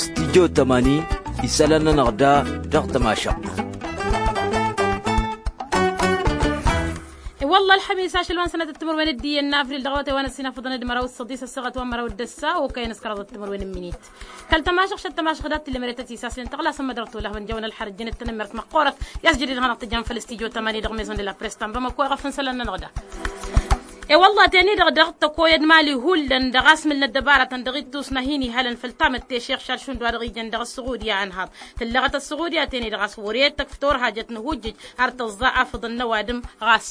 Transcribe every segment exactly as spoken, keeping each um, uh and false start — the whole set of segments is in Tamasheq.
Studyo tămani isălan-nănăɣ da dăɣ-tămašăɣt. I-wălla ălxămis ašăl wa n-sănatăt timǝrwen d-iyyăn n-avril dăɣ-awătay wa n-ăssinafăḍăn d-măraw d-săḍis ăssaɣăt wa n-măraw d-ăssa okăyăn s-kăraḍăt timǝrwen n-imǝnit. Kăl-tămašăɣ šăt tămašăɣ dat-t lemret ăsisasnen tăɣlasăn mădăr tolăhbăn jăwăn ălxărăt jănăt-tăn ămmert măqqoorăt i-as jădid hanăɣ-tǝjjam făll-studyo tămani dăɣ-maison de la press ta n-bamăko iɣăf n-isălan-nănăɣ da. I-wălla teni-dăɣ dăɣ-tăkoyăd mali hullan dăɣ-asmǝl n-ăddăbaratăn dăɣ-ittus n-ad-hin-ihalăn făll-tamătte šex šaršund wa dăɣ-ijăn dăɣ-ăssuɣudya ănhaḍ tǝllăɣăt ăssuɣudya teni-dăɣ a-s wăr-e-d tăkf turhajăt n-ihujjǝj har tǝẓẓa afǝḍăn n-ăwadǝm ɣas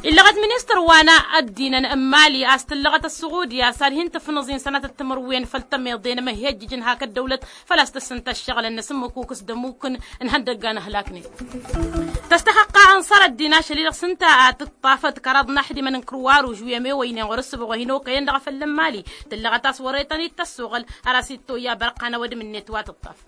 illăɣăt ministăr wa n-ăddinăn n-mali a-s tǝllăɣăt ăssuɣudya s-ad-hin-tǝfnăẓ-in sănatăt timǝrwen făll-tămeḍe n-emăhhejjǝj n-hak ăddăwlăt făl-a-s tǝssǝnta ǝššăɣǝlăn n-asǝmmǝkukǝs d-ămmuk n-ihăndăgga n-ahlaknen. Tăstăxăqqa ănṣăr ăddin ašăl-i-dăɣ s-ǝnta a tǝṭṭafăt kăraḍ n-aḥdimăn n-kruwaruž wi ămewăynen ɣur-ǝssǝbɣ wa hin-okăyăn dăɣ-efăllăn mali tǝllăɣăt a-s wăr-e tăn-dd-tăssoɣăl har a-s ittoyya bărqan ăwădǝm-net wa tǝṭṭaf.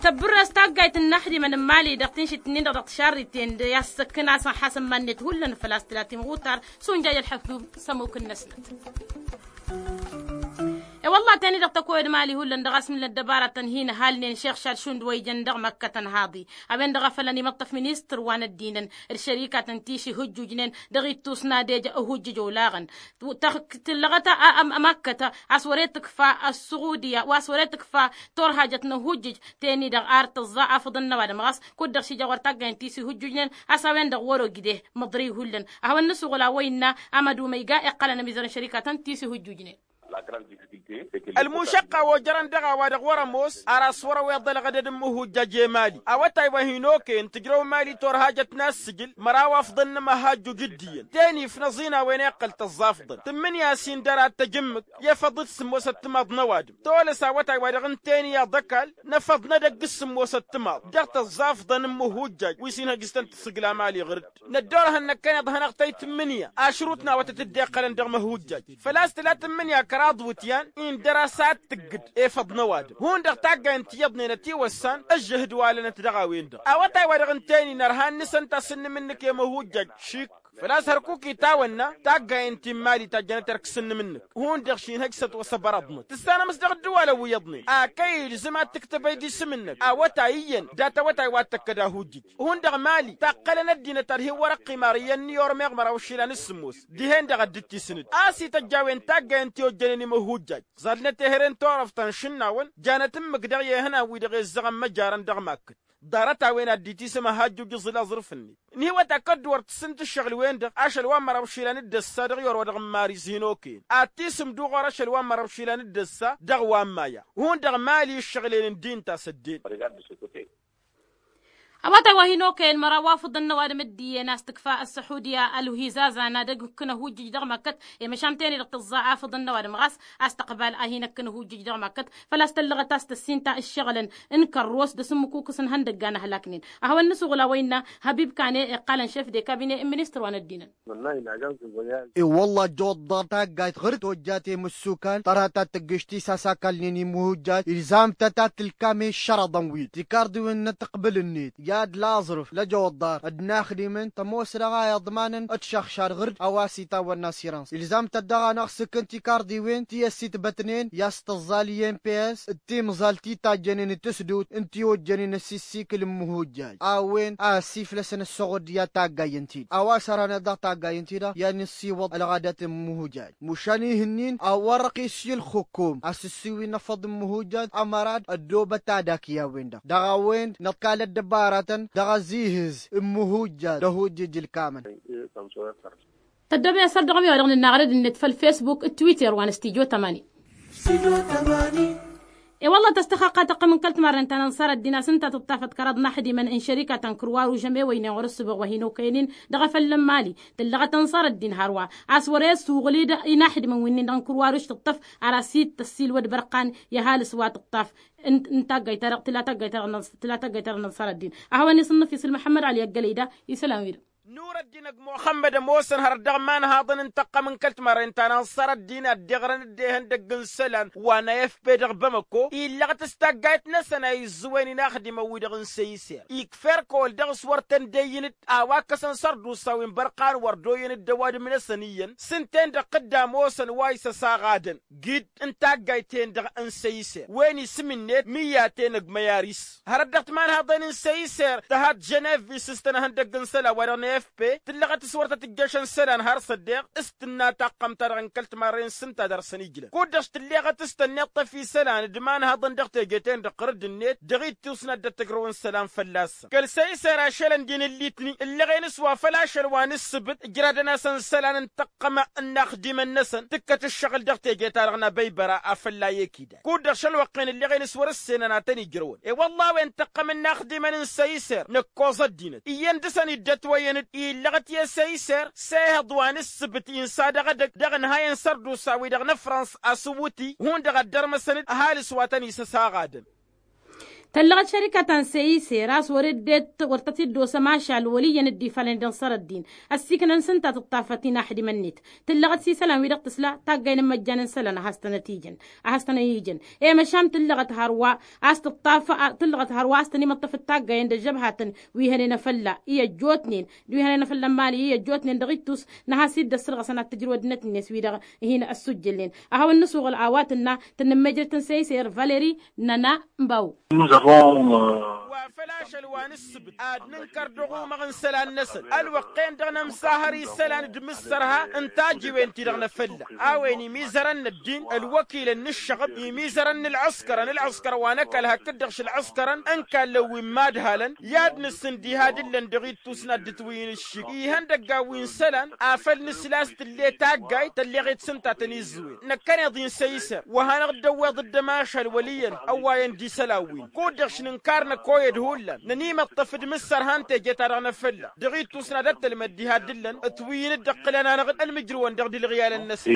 Tăbbǝrrăs taggayt n-inaxdimăn n-mali dăɣ-tinšit-nin-dăɣ dăɣ-tišarriten d-i-ad-săkkǝn a-s ănḥasăn iman-net hullan făl-a-s tǝlatin ɣutar s-unjaj ălḥăkdub s-ămmuk-năsnăt. I-wălla teni-dăɣ tăkoyăd mali hullan dăɣ-asmǝl n-ăddăbaratăn hin-ăhalnen šex šad šund wa ijăn dăɣ-măkkătăn haḍi a-wen-dăɣ a fălăn imăṭṭăf ministăr wa n-ăddinăn d-šărikatăn ti s-ihǝjjujnen dăɣ-ittus n-ad-ej ăhujjǝj olaɣăn. Tǝllăɣăt a măkkăt a-s wăr-e tǝkfa ăssuɣudǝya wa s-wăr-e tǝkfa turhajăt n-ăhujjǝj teni-dăɣ ar tǝẓẓa afǝḍăn n-ăwadǝm ɣas kud-dăɣ šija ɣur-taggayăn ti s-ihǝjjujnen a-s a-wen-dăɣ wăr-ogǝde măḍrǝy hullan. A hawăn nǝsuɣǝl a-wa innă amădu ma iga iqqălăn ămizăr n-šărikatăn ti s-ihǝjjujnen. Ălmušăqqa wa ojărăn dăɣ-a-wa-dăɣ wăr-ămoos ar a-s wăr-ăweḍ ălɣădăd n-imǝhujjaj i-mali awătay wa hin-okăyăn tǝjrăw mali turhajăt n-assǝjǝl măraw afḍăn n-imăhajjuj d-iyyăn teni ifnăẓ-in a-wen iqqăl tăẓẓafḍăn tǝmmǝnǝya a-s indăr ad-tăj ǝmmǝk i-efăḍ d-sǝmmosăt timaḍ n-ăwadǝm tolăs awătay wa dăɣ-ǝnta eniyaḍ ăkall n-efăḍ n-edăgg s-sǝmmosăt timaḍ dăɣ-tăẓẓafḍăn n-imǝhujjaj wi s-inhăj s-tăn-tǝssǝgla mali ɣǝr-dd. Năddoorăhăn năkkăneḍ hanăɣ-tăy tǝmmǝnǝya ašrut n-awătăt dd-iqqălăn dăɣ-imǝhujjaj făl-a-s tǝla tǝmmǝnǝya kăraḍ iwǝtyan indăr-as ad-tǝggǝd efăḍ n-ăwadǝm hundăɣ taggayen ti iyyăḍnen ătiwăssan ăžžăhǝd wa lănăt dăɣ-a-wen-dăɣ awătay wa dăɣ-ǝnta-en-in ărhan n-isănta s-ǝnnǝm-nǝk i-imǝhujjaj šik făl-a-s hărkuk itawănna taggayen ti n-mali tajjănăt erk s-ǝnnǝm-nǝk hundăɣ šinhăj s-ătwăsăbărăḍnăt tǝssanăm s-dăɣ ǝddǝwalăn wi iyyăḍnen a kăy-ilzǝm ad-tǝktăb ăydisǝm-năk awătay iyyăn dat-awătay wa t-tăkkăd ahujjǝj hundăɣ mali taqqălăn ăddinăt ad-hin-wăr-ăqqim ar iyyăn n-iyyăr meɣ măraw išilan s-sǝmmos dihen-dăɣ ad-dd-tisǝnǝd a-s ităjj a-wen taggayen ti ojjănen imǝhujjaj ẓalnăt ehăre n-turăft ta n-išǝnnawăn janăt ǝmmǝk dăɣ-i ehănan-wi-dăɣ izzăɣăn măjarăn dăɣ-makkăt ḍarăt-a-wen ad-dd-itisǝm ăhajjuj iẓǝl aẓrǝf-net ǝnhǝywăt akădd wăr tǝssǝnt ǝššăɣǝl-wen-dăɣ ašăl wa n-măraw išilan d-ăssa dăɣ-i orăwădăɣ n-imariz hin-okăyăn ad-tisǝm d-uɣur ašăl wa n-măraw išilan d-ăssa dăɣ-wa n-maya hundăɣ mali ǝššăɣǝl-en ǝndi ǝnta a-s ăddeen. Awătay wa hin-okăyăn măraw wa fǝḍăn n-ăwadǝm dd-iyyăn a-s tǝkfa ăssăxudǝya ălhizazan ad-ăgg-ǝkkǝn ăhujjǝj dăɣ-măkkăt i-măšan teni-dăɣ tǝẓẓa afǝḍăn n-ăwadǝm ɣas a-s tăqbal a hin-ǝkkǝn ăhujjǝj dăɣ-măkkăt făl-a-s tăllăɣăt a-s tăssinta ǝššăɣǝlăn n-kărros d-asǝmmǝkukǝs n-ihăndăgga n-ahlak-nen. A hawăn-nǝsuɣǝl a-wa innă hăbib kane iqqalăn šef de kabine n-ministăr wa n-ăddinăn. I-wălla ăjjăwăḍ dăɣ-taggayt ɣur-dd tojjat i-imǝssukan tărha ta tǝggǝš tisas akalnen imǝhujjaj ilzam-tăt ad-tǝlkam i-ǝššărăḍăn-win tikarḍiwen n-ăttăqbǝl-net i-ad-laẓrǝf lăjăwăḍ ḍar ădnaxdimăn tămoos dăɣ-a iḍmanăn d-šăxšad ɣur-dd a-wa s-itawănna sirăns ilzam-tăt dăɣ-a năɣ-sǝkkǝn tikarḍiwen ti ăssitbătnen i-a-s tǝẓẓal i-mps d-timẓal ti tajjănen d-tǝsdut n-ti ojjănen ăsissikǝl n-imǝhujjaj a-wen a ăsiflăsăn ăssoɣod i-ad-taggayen-ti-dăɣ a-wa s-ărhăneḍ dăɣ-taggayen-ti-dăɣ i-ad-nǝssiwăḍ ălɣădăt n-imǝhujjaj. Măšan ihǝnnin a wăr-răqis i-ǝlxǝkkum a-s ǝssiwǝy n-afăḍ n-imǝhujjaj ămărad ăddoobăt ad-akǝy a-wen-dăɣ dăɣ-a-wen nǝḍkal ăddăbaratăn dăɣ-azihǝz n-imǝhujjaj d-ahujjǝj ǝlkamăn. Tăddoobey asăr dăɣ-ămiwa dăɣ-nǝnnaɣ ărăd-net făll-fesbuk d-twitter wa n-studyo tămani. I-wălla tăstăxăqqa tăqqăm n-kăl-timarnen ta n-ănṣar ăddin a-s ǝnta tǝṭṭafăt kăraḍ n-aḥdimăn n-šărikatăn kǝrwaruž ămewăynen ɣur-ǝssǝbăɣ wa hin-okăyăn-in dăɣ-efăllăn mali tǝllăɣăt ănṣar ăddin hărwa a-s wăr-e ăssuɣǝl-dd inaḥdimăn wi-nin-dăɣ n-kǝrwaruž tǝṭṭăf ar asǝtăssilwăd bărqan i-ăhalǝs wa tǝṭṭaf n-taggayt-ta-dăɣ tǝla taggayt-ta-dăɣ n-ănṣar ăddin. A hawăn-isǝnnǝf isǝl măḥămmăd ăli ăggălăy da isălan-wi-dăɣ. Nurăddin ăgg muxămmăd ămoosăn hărăt dăɣ-imanhaḍăn n-tăqqăm n-kăl-timarren ta n-ansăr ăddin ad-dd-iɣrăn dd-ehăndăgg n-isălan wa n-afp dăɣ-bamăko illăɣăt s-taggayt năsăn a izzǝwen inaxdimăn-wi-dăɣ n-săyser ikf'-erk ăwăl dăɣ-s wăr tăn-dd-eyyǝn-dd a-wa ǝkkăsăn sărdusa wi n-bărqan wăr dd-oyyăn dd-ăwadǝm-năsăn iyyăn s-ǝnta-en-dăɣ tǝdda ămoosăn wa isăsaɣadăn gid n-taggayt-en-dăɣ n-săyser wen isǝm-net mǝyyaten ăgg măyar-is. Hărăt dăɣ-timanhaḍen n-săyser tăhat ženevis s-tăn-ehăndăgg n-isălan wa dăɣ-nefpe tǝllăɣăt s-wăr tăt-ǝjjăšăn isălan har s-ăddeɣ s-tǝnna taqqăm-ta-dăɣ n-kăl-timarren s-ǝnta dăr-săn ijlăn kud-dăɣ s-tǝlleɣăt s-tănneḍtăf isălan d-imanhaḍăn dăɣ-teje-ten-dăɣ ɣǝrǝdd-net dăɣ-ittus n-ad-dd-ăttăjrăwăn isălan fălla-săn kăl-săyser ašăl ăndin ǝllitni ǝllăɣen s-wa făl ašăl wa n-ǝssǝbǝt ǝjradăn-asăn isălan n-tăqqăm n-inaxdimăn-năsăn tǝkkăt ǝššăɣǝl dăɣ-teje-ta-dăɣ n-abăybăra a fălla i-ekidal kud-dăɣ šălwăqqen ǝllăɣen s-wăr-ǝssenăn ad-tăn-ijrăwăn i-wălla a-wen tăqqăm n-inaxdimăn n-săyser năkkoẓ ăddinăt iyyăn dăɣ-săn iddătwăyăn-dd illăɣăt i-săyser s-ehăḍ wa n-ǝssǝbǝt insa dăɣ-edăgg dăɣ-inhayăn sărdusa-wi-dăɣ n-afrăns asǝwwǝti hundăɣ ad-dărmăsăn-dd ăhalǝs wa tăn-isăsaɣadăn. Tăllăɣăt šărika ta n-săyser a-s wăr-dd-e-t wăr tăt-dd-osăm ašal wăl' iyyăn dd-ifalăn d-inṣăr ăddin ăssiiknăn s-ǝnta tǝṭṭafăt inaxdimăn-net tǝllăɣăt s-isălan-wi-dăɣ tǝsla taggay n-ǝmmăjjan n-isălan a has-tănăt-ijăn a has-tănăt-ijăn i-măšan tǝllăɣăt hărwa a-s tǝṭṭaf tǝllăɣăt hărwa a-s tăn-imǝṭṭăfăt taggayen d-ăžžăbhatăn wi hănen afălla i-ăjjootnen d-wi hănen afălla n-imali i-ăjjootnen dăɣ-ittus n-ad-has-dd-ăssărɣăsăn ad-t-ǝjrǝw ăddinăt-net wi-dăɣ hin-ăssuj jălnen ad-hawăn-nǝsuɣǝl a-wa tǝnna tǝnnǝmmejrăt n-săyser valeri n-ăna n-baw. Wa făl ašăl wa n-ǝssǝbǝt ad-nǝnkăr dăɣ-umăɣ n-isălan-năsăn ălwăqq-en-dăɣ nămsahăr isălan d-imǝssărha n-tajiwen-ti-dăɣ n-afălla a-wen imizărăn n-ăddin ălwăkilăn n-ǝššăɣǝb imizărăn n-ălɣǝskărăn ălɣǝskărăn wa n-ăkall hakd-dăɣ šălɣǝskărăn n-kallăn wi n-imadhalăn i-ad-nǝsǝn diha d-ǝllăn dăɣ-ittus n-ad-dd-ǝtwǝyǝn ǝššǝg ihăndăggan wi n-isălan afăl nǝsla a-s tǝlle taggayt tălleɣ-it s-ǝnta a tăn-izzǝwen năkkăneḍ-i n-săyser wa hanăɣ-dd-ăwweḍ dd-ămašal wăl' iyyăn ăwwayăn d-isălan-win kud-dăɣ š-nǝnkar năkkoyăd hullan nănimăṭṭăf d-imǝssărha n-teje-ta-dăɣ n-afălla dăɣ-ittus n-ad-ăttălmăd diha d-ǝllăn ǝtwǝyyǝn-dd ăqqǝlăn-anăɣ-dd ălmǝjrǝwăn dăɣ-dilɣiyalăn-năsăn.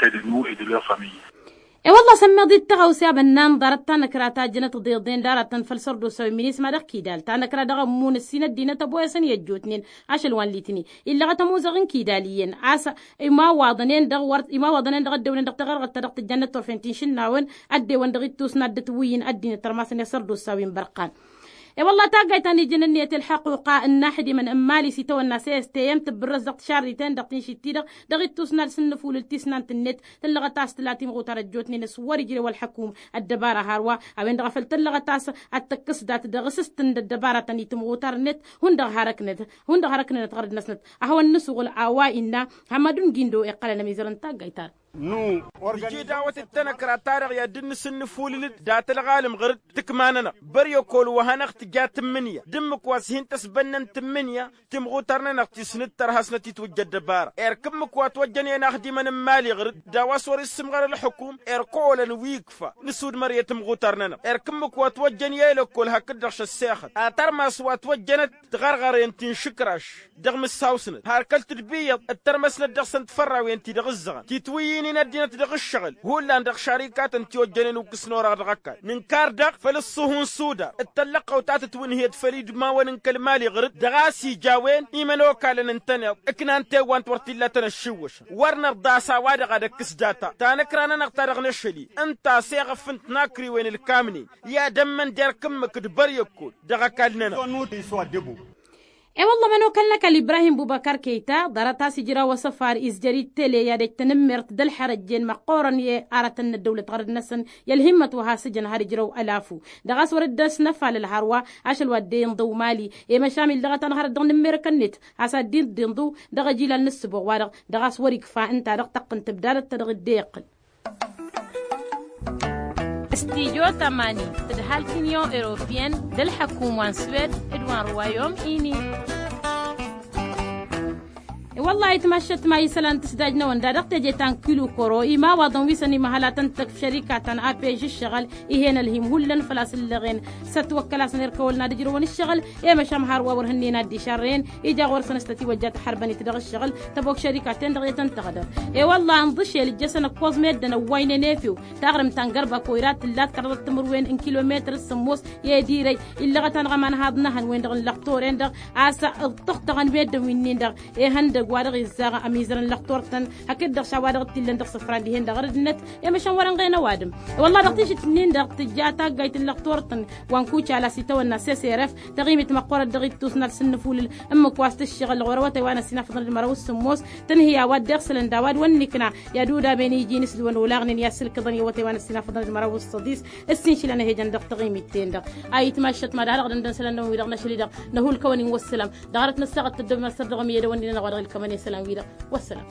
E-wălla-s ămmiḍ-dd tăɣawse a bănnan ḍarăt tanăkra ta jănăt tiḍeḍen d-aratăn făll-sărdusa wi n-minisma dăɣ-kidal tanăkra dăɣ-ămmun ǝssin ăddinăt ăboyăsăn i-ăjjootnen ašăl wa n-litni illăɣăt ămuzăɣ n-kidal iyyăn a-s imawaḍăn-en dăɣ-wăr imawaḍăn-en dăɣ-ăddewnen dăɣ-taɣărɣăt ta dăɣ-tǝjjăn n-ăṭṭofen ti n-išǝnnawăn ăddewăn dăɣ-ittus n-ad-dd-ǝtwǝyyǝn ăddinăt ărmasăn i-sărdusa wi n-bărqan. E-wălla taggayt ta n-ijăn ǝnniyăt i-ălḥăquqa n-inaxdimăn n-imali s-itawănna s-e s t m tǝbbǝrrăs dăɣ-tišarriten-dăɣ tinšit-ti-dăɣ dăɣ-ittus n-ad-sǝnnǝfulǝl tisnant-net tǝllăɣăt a-s tǝla timɣutar ăjjootnen s-wăr-ijrew ălxăkum ăddăbara hărwa a-wen-dăɣ a făl tǝllăɣăt a-s ad-tăkkǝs dat-dăɣ s-s tǝnd ăddăbaratăn i-timɣutar-net hundăɣ har ăknăt hundăɣ har ăknănăt ɣărăd-năsnăt a hawăn-nǝsuɣǝl a-wa innă hămmădun gindo iqqălăn ămizărăn taggayt-ta-dăɣ. Nǝji dawăt d-tanăkra-ta-dăɣ i-ad-dd-nǝsǝnnǝfulǝl-dd dat-ălɣalǝm ɣăr-dd tǝkma-nănăɣ băryăkol wa hanăɣ-tǝja tǝmmǝnǝya d-ǝmmǝk wa s-hin-tăsbănnăn tǝmmǝnǝya timɣutar-nănăɣ ti s-nǝttăr hasnăt-itwǝjja ăddăbara erk ǝmmǝk wa ătwăjjăn i-inaxdimăn n-imali ɣăr-dd a-wa s-wăr issǝmɣăr ălxukum erk oolăn wi ikfa nǝsudmăr i-timɣutar-nănăɣ erk ǝmmǝk wa ătwăjjăn i-elăkkol hakd-dăɣ šăssexăt ad-tărmas wa ătwăjjănăt tiɣărɣăren ti n-išǝkraš dăɣ-imǝssawsnăt har kăl-tǝdbǝyyăḍ ǝttărmăsnăt dăɣ-săn tifarrawen ti dăɣ-ǝzzăɣăn titwǝyyǝynin ăddinăt dăɣ-ǝššăɣǝl hullan dăɣ-išarikatăn ti ojjănen ukǝsn orăɣ dăɣ-ăkall nǝnkar daɣ făll-ǝṣṣuhu n-sudar d-tăllăqqăw ta tǝtwǝnhǝyăt făll-idmawăn n-kăl-imali ɣǝr-dd dăɣ-a-s ija a-wen imănokalăn ǝntăneḍ ǝknan tewwant wăr t-illa tăn-ăššiwwăšăn wăr nărḍa a-s a-wa-dăɣ ad-ăkkǝs data tanăkra-nănăɣ ta dăɣ-năšăl-i ǝnta a-s eɣăf n-tinakriwen ǝlkamnen i-ad-ămmăn d-erk ǝmmǝk d-băryăkkol dăɣ-ăkall-nănăɣ. E-wălla ămănokal n-ăkall ibrahim bubăkar kăyta ḍarăt a-s ijraw asăfar izjăr-i d-tele i-ad-ăj tanǝmmert d-ălxărăjjen măqqoorăn i-aratăn n-ăddăwlăt ɣărăd-năsăn i-ălhimmăt wa has-ǝjăn har ijrăw ălafu dăɣ-a-s wăr dd-ăsnăfalăl hărwa ašăl wa dd-e-inḍǝw mali i-măšan illăɣăt-anăɣ hărăt dăɣ-inǝmmerekăn-net has-ad-dd-inḍǝw dăɣ-ejilal n-ǝssǝboɣ-wa-dăɣ dăɣ-a-s wăr-ikfa ǝnta-dăɣ tăqqǝn tǝbdadăt ta dăɣ-dd-e-iqqǝl. Studyo tămani tǝdhal t-inyon europiyăn d-ălḥăkum wa n-swed d-wa n-ruwayom ini. Wălla-hi tmaššăt ma isălan tǝsdaj-năwăn da dăɣ-teje ta n-kilu kăro imawaḍăn wi săn imăhăl a tăn-tăkf šărika ta n-apej ǝššăɣǝl. Ih'-en ălhim hullan făl-a-s ǝllăɣen s-ătwăkkăl-asăn irkăwălăn ad-ǝjrăwăn ǝššăɣǝl. I-măšan har wa wăr hǝnnen ad-dd-išarrăyăn ija ɣur-săn s-tătiwăjja tăḥărbănit dăɣ-ǝššăɣǝl tăbok šărika-ten-dăɣ i-tăn-tăɣdăr. I-wălla-hi ǝnḍǝšel ǝjjăsăn ǝkkoẓ meddǝn ăwwaynen efew taɣrǝmt ta n-gărbako ira tǝllat kăraḍăt timǝrwen n-kilometăr s-sǝmmos. I-ed-irăy illăɣăt-anăɣ ămanhaḍ n-ehăn-wen-dăɣ n-lăxtor-en-dăɣ a-s ǝṭṭăɣ-tăɣăn meddǝn wi-nin-dăɣ ehăn dăgg-wa-dăɣ izzaɣ ămizăr n-lăxtor-tăn. Hakd-dăɣ šawa dăɣ-t-illăn dăɣ-isǝfran dihen-dăɣ ărăd-net. I-măšan wăr-ănɣen ăwadǝm. Wălla-hi dăɣ-tišǝt-nin-dăɣ tǝjja taggayt n-lăxtor-tăn wa n-kucal a-s itawănna s-s r f. Taɣimit măqqoorăt dăɣ-ittus n-ad-sǝnnǝfulǝl ǝmmǝk wa s-tǝššăɣǝl ɣur-awătay wa n-ăssinafăḍăn d-măraw s-sǝmmos tănhǝy a-wa dd-iɣsǝlăn d-a-wa d-wănnikna. I-ad-udaben iji n-isǝlwăn olaɣnen i-ad-sǝlkǝḍăn i-awătay wa n-ăssinafăḍăn d-măraw s-săḍis. Ǝssin šilăn ehejăn dăɣ-taɣimit-ten-dăɣ a itmaššăt mad-ha-dăɣ dăndăn isălan-năwăn-wi-dăɣ n-ašăl-i-dăɣ. Năhulkăwăn-in wăssalam. Dăɣ-arăt nǝssaɣăt tăddobem asăr dăɣ-ămiyădăwăn-nin-anăɣ wa dăɣ-ilkămăn i-isălan-wi-dăɣ. Wăssalam.